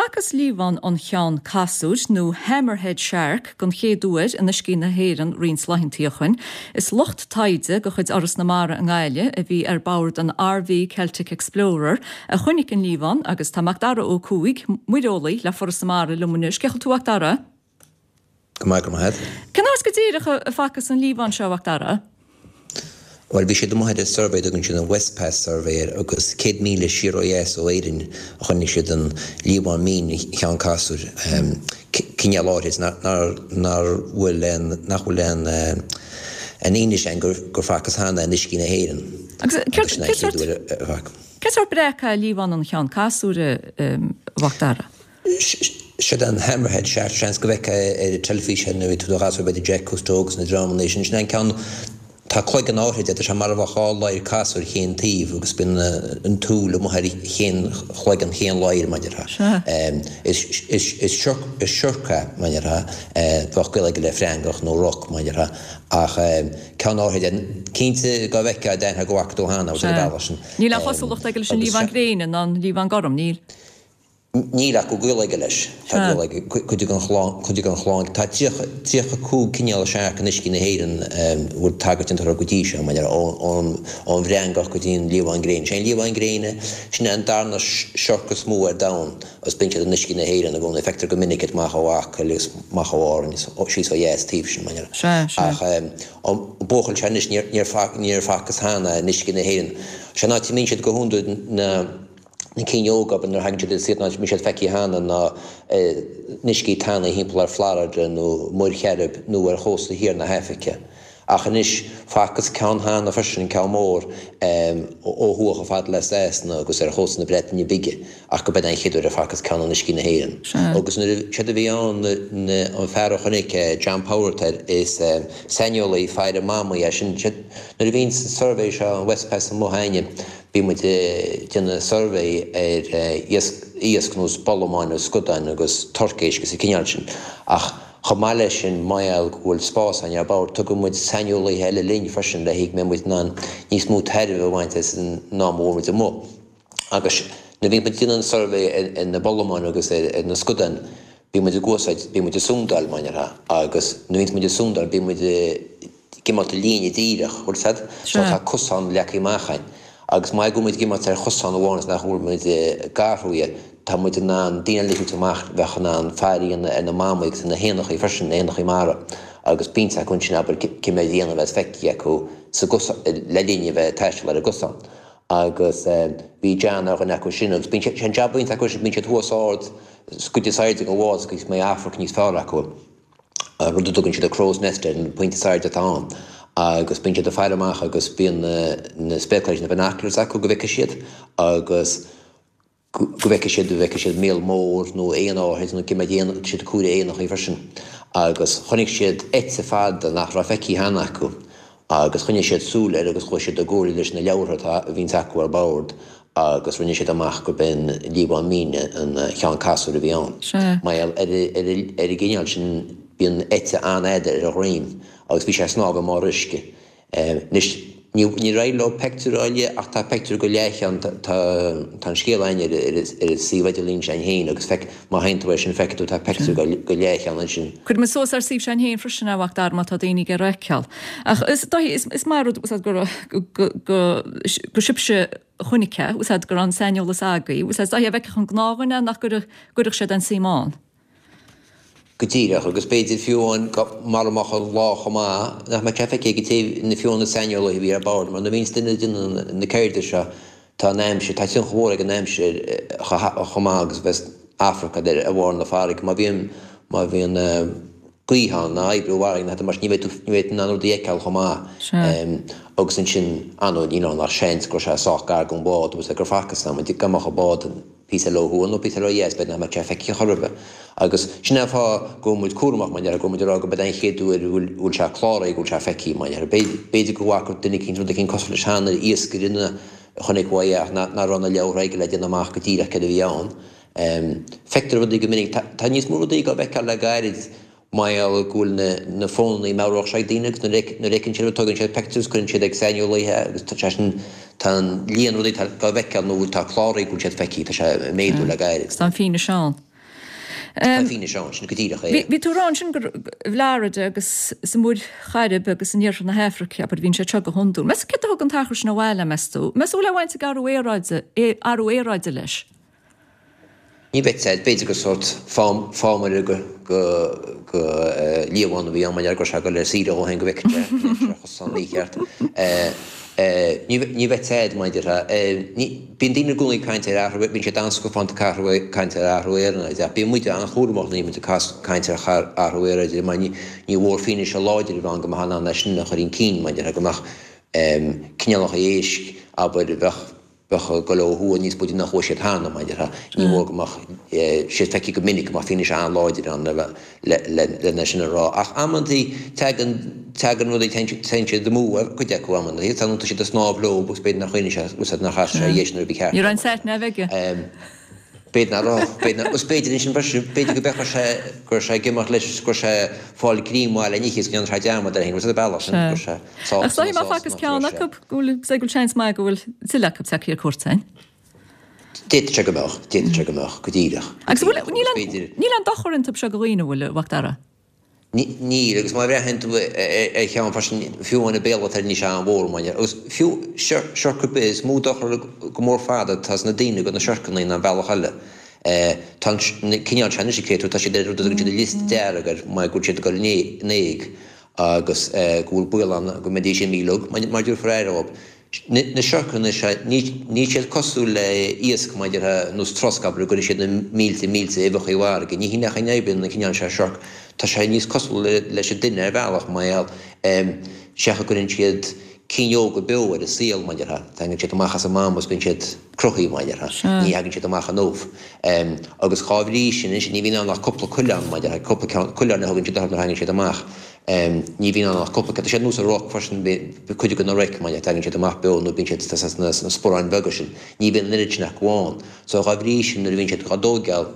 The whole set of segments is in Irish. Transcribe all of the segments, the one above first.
Facthas liamhán an cheann casúir, nó hammerhead shark, den chéad uair in uiscí na hÉireann roinnt laethanta ó shoin. Is lucht taighde de chuid Fhoras na Mara i nGaillimh a bhí ar bord an RV Celtic Explorer a chonaic an liamhán agus tá Macdara Ó Cuaig, muireolaí le Foras na Mara liom anois. Cén chaoi a bhfuil tú a Mhacdara? Go maith, go maith. Cén áit go díreach a facthas an liamhán seo, a Mhacdara? Bhuel, bhí siad amuigh ar an suirbhé, dtugann siad an Westpass Survey air, agus 100 míle siar ó dheas ó Éirinn a chonaic siad an liamhán mín cheann casúir, cineál áirid nár bhfuil aon, nach bhfuil aon aon fhianaise ann gur facthas cheana in uiscí na hÉireann. Agus agus sin é an chéad uair a facthas. Cén sórt breac é liamhán an cheann casúir, a Mhacdara? Siod é an hammerhead shark, seans go bhfeicfeá ar an teilifís é nuair a bhí tú i do ghasúr, b'fhéidir Jacques Cousteau agus na dreamanna sin. Sin é an ceann, tá cloigeann áithrid air, tá sé mar a bheadh dhá ladhar casúir chaon taobh agus bíonn an tsúil amuigh ar chaon chloigeann, chaon ladhar, mar a déarfá. Is siorc é, mar a déarfá, bheadh gaol aige le freangach nó roc, mar a déarfá, ach ceann áithrid é. Cinnte dá bhfeicfeá d'aithneofá go bhfaca tú cheana, agus ar an bhealach sin. Níl aon chosúlacht aige leis an liamhán gréine ná an liamhán gorm, níl? Níl ach go bhfuil gaol aige leis. Tá gaol aige, cuid den chlann, cuid den chlann. Tá 35 cineál searc in uiscí na hÉireann a bhfuil tagairt déanta orthu go dtí seo, mar ón bhfreangach go dtí an liamhán gréine. Sé an liamhán gréine, sin é an darna siorc is mó ar domhan agus bíonn siad in uiscí na hÉireann i gcónaí. Feictear go minic iad amach ó Acaill agus amach ó Árainn agus síos ó dheas taobh sin, mar. Ach an buachaill seo anois, níor facthas cheana in uiscí na hÉireann. Sé an áit a mbíonn siad go hiondúil na. na cinn óga, abair, nuair a thagann siad ar saol, bíonn siad feicthe cheana ná in uiscí tanaí thimpeall ar Florida nó Muir Chairib nó ar chósta thiar na hAifrice. Ach anois, facthas ceann cheana freisin, ceann mór, ó thuaidh chomh fada le Sasana agus ar chósta na Breataine Bige, ach go b'in é an chéad uair a facthas ceann in uiscí na hÉireann. Agus nuair a, séard a bhí ann, an fear a chonaic é, John Power atá air, is saineolaí faire mamaigh é sin, nuair a bhíonn an suirbhé seo, an Westpass amuigh a'inne, Bíonn muid ag déanamh suirbhé ar iasc ar nós bolamáin agus scadáin agus torcéisc agus an cineál sin. Ach chomh maith leis sin, mar gheall go bhfuil spás againn ar bord, tugann muid saineolaithe eile linn freisin le go mbeidh muid in ann níos mó tairbhe a bhaint as an am a bhfuil muid amuigh. Agus nuair a bhíonn muid ag déanamh an suirbhé ar na bolamáin agus ar na scadáin, bíonn muid ag úsáid, bíonn muid ag súndáil, mar a déarfá, agus nuair a bhíonns muid ag súndáil, bíonn muid ag imeacht i líne díreach, bhfuil 'fhios a'd? So tá cosán leagtha amach a'inn. Agus mar go bhfuil muid ag imeacht ar chosán amháin is nach bhfuil muid ag athrú é, tá muid in ann daoine eile a thabhairt amach bheadh in ann faire a dhéanamh ar na mamaigh agus ar na héanachaí freisin, na héanachaí mara, agus bíonn acu ansin, abair, cé mhéad éan a bheas feicthe acu sa gcosán, le linn a bheith ag taisteal ar an gcosán. Agus bhí John ar dhuine acu sin agus bíonn sé, sé an jab a bhíonns acu sin, bíonn siad thuas ard, sa gcuid is airde den bhád agus go mbeidh amharc níos fearr acu, an rud a dtugann siad a crow's nest air, an pointe is airde atá ann. Agus bíonn siad ag faire amach agus bíonn na spéacláirí, na binoculars acu go bhfeicfidh siad agus go bhfeicfidh siad, go bhfeicfidh siad míol mór nó éan áithrid nó cé mhéad éan, tá siad ag comhaireamh éanachaí freisin. Agus chonaic siad eite fada nach raibh feicthe cheana acu agus choinnigh siad súil air agus chuaigh siad i gcomhairle leis na leabhartha atá, a bhíonns acu ar bord agus rinne siad amach gurb é an liamhán mín an cheann casúir a bhí ann. Mar gheall ar ar an gcineál sin bíonn eite an-fhada ar a dhroim agus bhí sé ag snámh i mbarr uisce. Anois, níor éirigh leo peictiúr a fháil dhe ach tá peictiúr de leathcheann, tá an scéal againn ar an suíomh idirlín s'againn féin agus feic, má théann tú air sin feicfidh tú tá peictiúr de leathcheann ansin. Cuirfidh muid suas ar suíomh s'againn féin freisin é a Mhacdara má tá daoine ag iarraidh a fheiceáil. Ach is dóigh, is maith an rud go go sibhse a chonaic é, is go raibh an saineolas agaibh, is dóigh dá bhfeicfeadh an gnáthdhuine nach gcuirfeadh sé aon suim ann. Go díreach, agus b'fhéidir fiú amháin mara mbeadh an lá chomh maith, nach mbeadh sé feicthe ag an té, na fiú na saineolaithe a bhí ar bord, mar nuair a bhíonns duine ag déanamh na ceirde seo, tá an aimsir, tá tionchar mhór ag an aimsir chomh maith agus bheas Afraic ar bharr na farraige. Má bhíonn, má bhíonn gaoth ann, ná oibriú i bhfarraige ná mar sin, ní bheidh tú, ní bheidh tú in ann rudaí a fheiceáil chomh maith. Agus ansin, ar ndóigh, níl ann ach seans go raibh sé sách gar don bhád agus gur facthas dá mbeadh an bád, píosa eile ó thuaidh nó píosa eile ó dheas, b'fhéidir nach mbeadh sé feicthe chor ar bith. Agus sin é an fáth go bhfuil muid cúramach, mar a déarfá, go bhfuil muid ag rá go b'é an chéad uair go bhfuil sé cláraithe, go bhfuil sé feicthe, mar a déarfá. B'fhéidir go bhfaca duine eicínt rud eicínt cosúil leis cheana, iascaire a chonaic uaidh é ach nach raibh na leabhartha aige le déanamh amach go díreach céard a bhí ann. Feictear rudaí go minic. Tá níos mó rudaí á bhfeiceáil le gairid. Mar gheall go bhfuil na fónannaí meabhrach seo ag daoine agus nuair a fheiceann siad rud tugann siad pictiúr agus cuireann siad ag saineolaithe agus tá sé sin, tá an líon rudaí atá á bhfeiceáil nó tá cláraithe go bhfuil siad feicthe, tá sé ag méadú le gairid. Tá an fianaise ann. Tá fianaise ann, sin go díreach é. Bhí tú ag rá ansin gur i bhFlorida agus sa Mhuir Chairib agus in iarthar na hAfraice, abair, a bhíonn siad seo go hiondúil. Meas céard a thug an t-achar sin abhaile, meas tú? Meas tú an bhfuil aon bhaint ag athrú aeráide, athrú aeráide leis? Ní bheadh a fhios a'd, b'fhéidir gur sórt fámaire go liamhán a bhí ann, mar go raibh sé ag dul ar saoire dhó féin go bhfeicfeadh sé go mbeadh sé ar chosán mícheart. Ní bheadh a fhios a'd, mar a déarfá. Bíonn daoine i gcónaí ag caint ar athrú, bíonn siad an-scafánta ag caint ar athrú aeráide ach bíonn muid an-chúramach nuair a bhíonn muid ag caint ar athrú aeráide mar ní mhór fianaise láidir a bheith ann go mbeifeá in ann é sin a chur chun cinn, mar a déarfá, go mbeadh cineálacha éisc, abair, a bheadh bheadh ag dul ó thuaidh níos faide ná chuaigh siad cheana, mar a déarfá. Ní mór go mbeadh siad feicthe go minic, go mbeadh fianaise an-láidir ann lena sin a rá. Ach amantaí tagann, tagann rudaí, téann siad amú, cuid acu amantaí, tá siad ag snámh leo agus b'fhéidir nár chuimhnigh sé, úsáid nár chas sé a dheis nuair a ba cheart Ní raibh an sat nav aige. B'fhéidir nach raibh, b'fhéidir nach, agus b'fhéidir ansin freisin, b'fhéidir go bhfeicfeadh sé go raibh sé ag imeacht leis agus go raibh sé ag fáil greim mhaith le n-ithe is go ndearna sé dearmad air féin, agus ar an bealach sin, go raibh sé sásta Ach má facthas ceann acu, go bhfuil, go bhfuil seans maith go bhfuil tuilleadh acu tagtha ar cuairt againn. D'fhéadfadh sé go mbeadh, d'fhéadfadh sé go mbeadh, go díreach, go Agus bhfuil, díreach, agus b'fhéidir. níl aon dochar iontu seo do dhaoine, an bhfuil, a Mhac Dara? Níl, agus má bhreathnaíonn tú ar cheann freisin, fiú amháin an béal atá air níl sé an-mhór, mar agus fiú siorc ar bith, is mó dochar go mór fada atá sna daoine go na siorcanna ná an bealach eile. Tá an cineál seo anois, cé tá siad ar rud a dtugann siad an liosta dearg air mar go bhfuil siad ag dul in éag agus go bhfuil baol ann go mbeidís imithe uilig mar a dtabharfar aire dhóibh. Na siorcanna seo, níl siad cosúil le iasc mar a déarfá, nós trosc, abair, a gcuireann siad na mílte mílte uibheacha i bhfarraige. Ní hin é an chaoi a n-oibríonn an cineál seo siorc. Tá sé níos cosúla leis an duine ar bhealach, mar gheall, sé a gcuireann siad cinn óga beo ar an saol, mar a déarfá. Tagann siad amach as a mam agus bíonn siad cruthaithe, mar a déarfá. Ní thagann siad amach in ubh. Agus dhá bhrí sin, anois, ní bhíonn ann ach cúpla coileán, mar a déarfá, cúpla ceann, coileáin a thugann siad orthu nuair a thagann siad amach. Ní bhíonn ann ach cúpla ceann. Tá siad nós an roc freisin, cuid de na roic, mar tagann siad amach beo nó bíonn siad sna sparáin bheaga sin. Ní bhíonn an oiread sin acu ann. So dhá bhrí sin nuair a bhíonn siad dhá dtóigeáil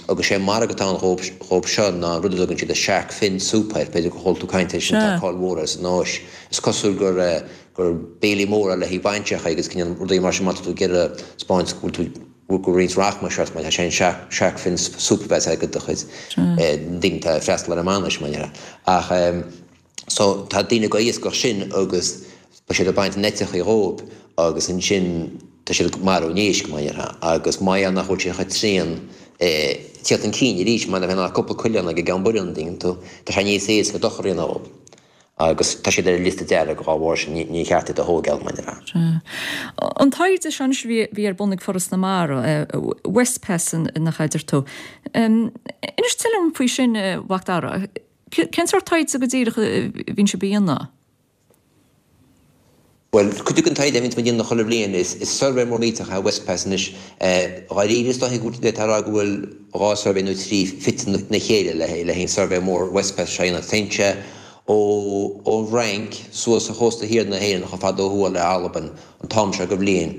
agus sé an margadh atá ann dhóibh seo ná an rud a dtugann siad a shark fin soup air, b'fhéidir gur chuala tú caint air sin, tá cáil mhór air san Áis. Is cosúil gur gur béilí mór é le haghaidh bainseacha agus cineál rudaí mar sin má tá tú ag iarraidh 'spáint go bhfuil tú go bhfuil roinnt rachmais ort mar tá sé an shark fin soup a bheas agat do chuid daoine atá ag freastal ar an mbainis, mar a déarfá. Ach so tá daoine ag iascach sin agus tá siad ag baint na n-eiteachaí dhóibh agus ansin tá siad ag marú an éisc, mar a déarfá, agus mar gheall nach bhfuil sé chomh tréan tíocht chun cinn arís mar nach bhíonn ach cúpla coileán ag an gceann buireann, an dtuigeann tú, tá sé níos éasca dochar a dhéanamh dhóibh. Agus tá siad ar an liosta dearg dhá bharr sin, ní cheart iad a thóigeáil, mar a déarfá. Sea. An taighde seo anois a bhí, bhí ar bun ag Foras na Mara, WestPass nach ea a deir tú. Inis tuilleadh dom faoi sin, a Mhac Dara. Cén sórt taighde go díreach a bhíonn sibh a dhéanamh? Bhuel, cuid den taighde a bhíonns muid a dhéanamh chuile bhliain, is suirbhé mór millteach é WestPass anois. Dháiríre, is dóichí go bhféadfá a rá go bhfuil 2 suirbhé nó 3 fite ina chéile le haghaidh an suirbhé mór WestPass seo a dhéanamh. Téann sé ón bhFrainc suas ar chósta thiar na hÉireann chomh fada ó thuaidh le Albain an t-am seo de bhliain.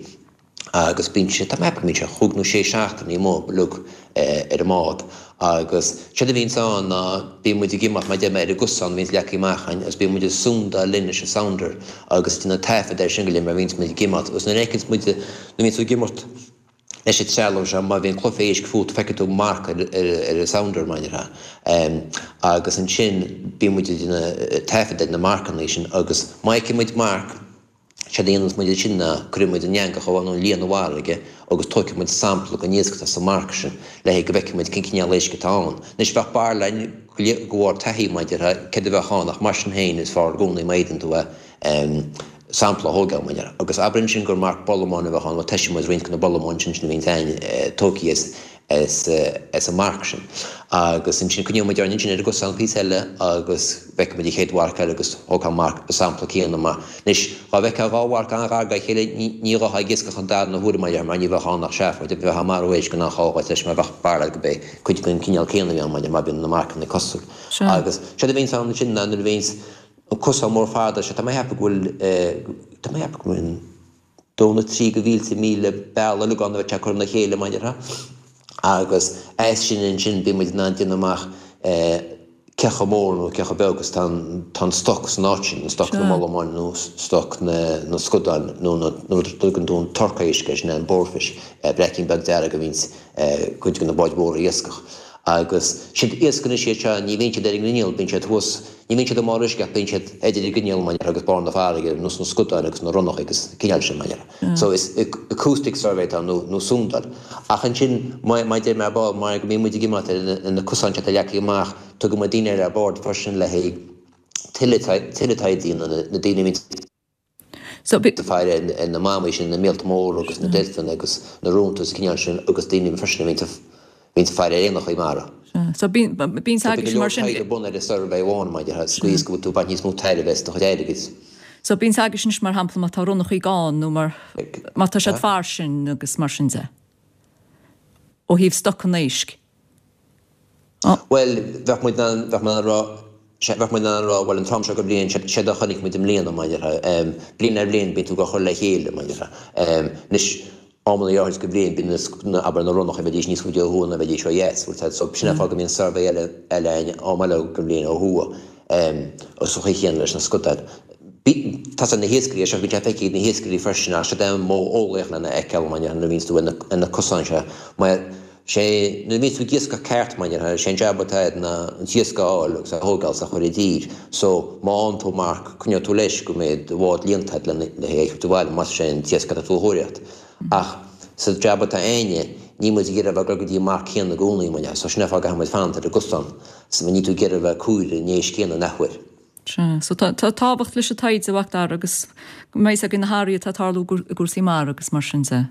Agus bíonn sé, tá mé ag ceapadh go mbíonn sé chúig nó sé seachtainí amuigh uilig ar an mbád. Agus séard a bhíonns ann ná bíonn muid ag imeacht, mar a deir mé, ar an gcosán a bhíonns leagtha amach againn agus bíonn muid ag sondáil linn leis an sounder agus ag déanamh taifead air sin go léir mar a bhíonns muid ag imeacht. Agus nuair a fheiceanns muid, nuair a bhíonns tú ag imeacht leis an trealamh seo, má bhíonn cluife éisc fút feicfidh tú marc ar ar an sounder, mar a déarfá. Agus ansin bíonn muid ag déanamh taifead ar na marcanna sin agus má fheiceann muid marc, Séard a dhéananns muid ansin ná cuireann muid an eangach nó an líon i bhfarraige agus tóigfidh muid sampla den iasc atá sa marc sin le haghaidh go bhfeicfidh muid cén cineál éisc atá ann. Anois bheadh barúil againn de bharr taithí mar a déarfá céard a bheadh ann ach mar sin féin is fearr i gcónaí má fhéadann tú é sampla a thógáil mar a déarfá. Agus abair ansin gur marc bolamáin a bheadh ann, bhuel tomhaiseann muid roinnt de na bolamáin sin sin a bhíonns againn tógtha as as an marc sin. Agus ansin coinneoidh muid orainn ansin ar an gcosán píosa eile agus feicfidh muid an chéad mharc eile agus thógfá an marc, an sampla céanna mar. Anois, dhá bhfeicfeá dhá mharc an-ghar dá chéile, ní ghabhfá ag iascach an darna huair mar a déarfá mar ní bheadh ann ach seafóid, bheifeá ag marú éisc in aon chás leis mar bheadh barúil agat gurb é cuid den chineál céanna a bhí ann mar má bhíonn na marcanna cosúil. Agus séard a bhíonns ann ansin ná nuair a bhíonns an cosán mór fada seo, tá mé a cheapadh go bhfuil, tá mé a cheapadh go bhfuil, dó nó trí de mhílte míle bealach uilig ann a bheith curtha ina chéile, mar a déarfá. Agus as sin ansin bíonn muid in ann déanamh amach cé chomh mór nó cé chomh beag is atá an stoc san áit sin, an stoc na mbollamán nó stoc na scadán nó na rud a dtugann tú an torc éisc air, sin é an boarfish, breaicín beag dearg a bhíonns cuid de na báid mhóra a iascach. Agus siad iasc anois iad seo, ní bhíonn siad ar an ngrinneall, bíonn siad thuas, ní bhíonn siad i mbarr uisce ach bíonn siad idir an grinneall, mar a déarfá, agus barr na farraige, ar nós na scudáin agus na ronnacha agus an cineál sin, mar a déarfá. So is acoustic survey atá ann, nó, nó sondáil. Ach ansin, mar a deir mé ar ball, mar go mbíonn muid ag imeacht ar na cosáin seo atá leagtha amach, tugann muid daoine eile ar bord freisin le haghaidh tuilleadh, tuilleadh taighde a dhéanamh, na daoine a bhíonn. So ag faire ar na mamaigh sin, na míolta móra agus na deilfeanna agus na rónta agus an cineál sin agus daoine freisin a bhíonns ag faire ar éanachaí mara. So bíonn So bíonn go leor taighde ar bun ar an suirbhé amháin mar a déarfá, sa gcaoi is go bhfuil tú ag baint níos mó tairbhe as do chuid airgid. So bíonn agaibhse anois mar shampla má tá ronnachaí gann nó mar má tá siad fairsing agus mar sin de. Ó thaobh stocanna éisc. Bhuel, bheadh muid in ann, bheadh muid in ann a rá, bheadh muid in ann a rá, bhuel an t-am seo go bliain, séard a chonaic muid i mbliana, mar a déarfá. Bliain ar bhliain bíonn tú ag cur le chéile, mar a déarfá. Anois, amanna áirid go bliain bíonn na, abair, na ronnacha, bheidís níos faide ó thuaidh ná bheidís ó dheas, bhfuil a fhios agat. So sin an fáth go mbíonn suirbhé eile, eile againn am eile go bliain ó thuaidh. Sa chaoi chéanna leis na scudáin. Tá a fhios ag na hiascairí é seo, bíonn sé feicthe ag na hiascairí freisin ach séard é an modh eolaíoch lena fheiceáil, mar a déarfá, nuair a bhíonns tú ar na cosáin seo. Mar sé, nuair a bhíonns tú ag iascach ceart, mar a déarfá, sé an jab atá agat ná an t-iasc a fháil agus a thógáil is a chur i dtír. So, má fhaigheann tú marc, coinneoidh tú leis go mbeidh do bhád líonta agat lena le hé a thabhairt abhaile más sé an t-iasc atá tú a thóraíocht. Ach sa jab atá a'inne, níl muid ag iarraidh a bheith ag dul go dtí an marc céanna i gcónaí, mar a déarfá. So sin an fáth go gcaithfidh muid fanacht ar an gcosán. So níl tú ag iarraidh a bheith ag comhaireamh an éisc céanna an athuair. Sea. So tá tábhacht leis an taighde, a Mhac Dara, agus go mbeidh a fhios againn na hathruithe atá ag tarlú i gcúrsaí mara agus mar sin de.